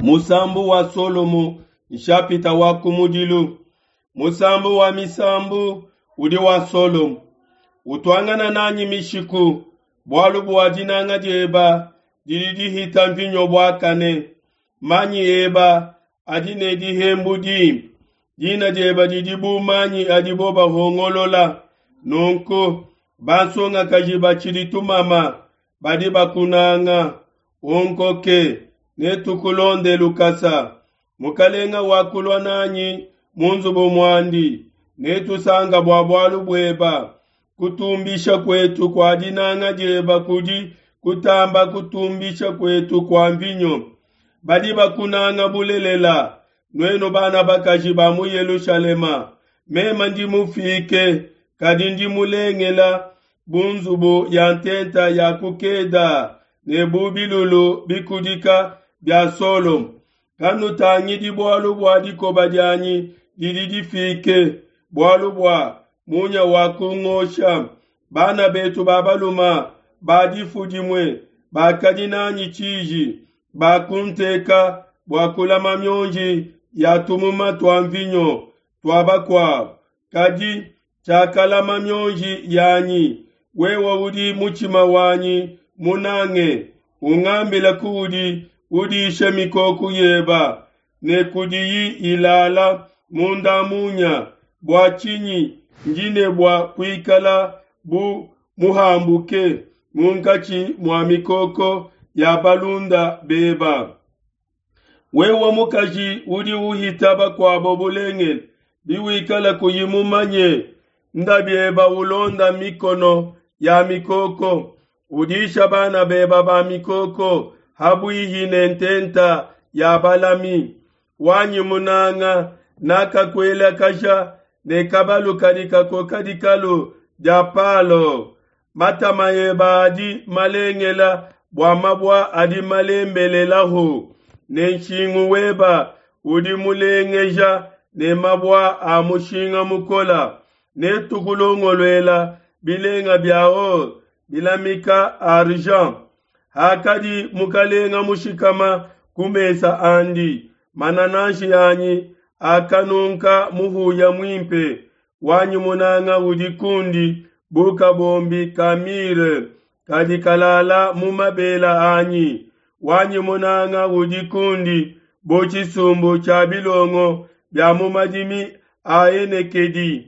Musambu wa Solomo nshapita wa kumudilu. Musambu wa misambu udi wa Solomo. Utuangana nanyi mishiku, bualu bua dinanga dieba didi dihita mvinyo buakane. Manyi eba adi ne dihembu dimpe. Dina dieba didi bu manyi adibo bahongolola. Nunku bansongakaji batshidi tumama badi bakunanga. Unkoke netukulonde lukasa. Mukalenga wakulua nanyi mu nzubu muandi, netusanka bua bualu bueba. Kutumbisha kuetu kua dinanga dieba kudi kutamba kutumbisha kuetu kua mvinyo. Badi bakunanga bulelela, nuenu bana bakaji ba mu Yelushalema. Mema ndi mufike, kadi ndi mulengela bu nzubu ya ntenta ya ku Keda ne bu bilulu bikudika bia Solomo. Kanutangidi bualu bua dikoba dianyi didi difike, bualu bua munya wakungosha. Bana betu ba baluma ba difu dimue bakadi nanyi tshiji, bakunteka bua kulama mionji ya tumuma tua mvinyo tua bakuabu, kadi tshiakalama mionji yanyi. Wewe udi mutshima wanyi munange, ungambile kuudi udisha mikoko yeba ne kudiyi ilala munda munya. Bua tshinyi ndi ne bua kuikala bu muhambuke munkatshi mua mikoko ya balunda beba? Wewe mukaji udi uhita bakuabo bulengele, biwikala kuyi mumanye ndabieba ulonda mikono ya mikoko, udisha bana beba ba mikoko habuihi ne ntenta ya balami. Wanyi munanga nakakuelakaja ne kabalu kadi kakoka dikalu dia Palo. Matama eba adi malengela bua mabua adi malembelelaho, ne nshingu weba udi mulengeja ne mabua a mushinga mukola. Netukulongoluela bilenga bia or bilamika argent. Hakadi mukalenga mushikama ku mesa andi, manananshi anyi akanunka muhuya muimpe. Wanyi munanga udi kundi bu kabombi ka mire kadi kalala mu mabela anyi. Wanyi munanga udi kundi bu tshisumbu tshia bilongo bia mu madimi a Enekedi.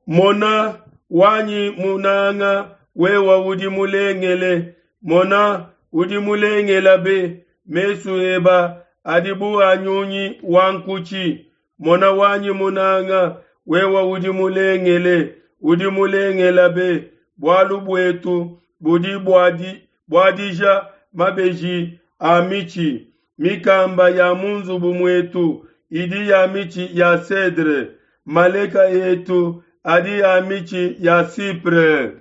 Mona wanyi munanga, wewe udi mulengele. Mona udi mulengela be, mesu eba adi bu a nyunyi wa nkutshi. Mona wanyi munanga, wewe udi mulengele, udi mulengela be. Bualu buetu budi buadija mabeji a mitshi. Mikamba ya mu nzubu muetu idi ya mitshi ya cedre. Maleka etu adi a mitshi ya cypre.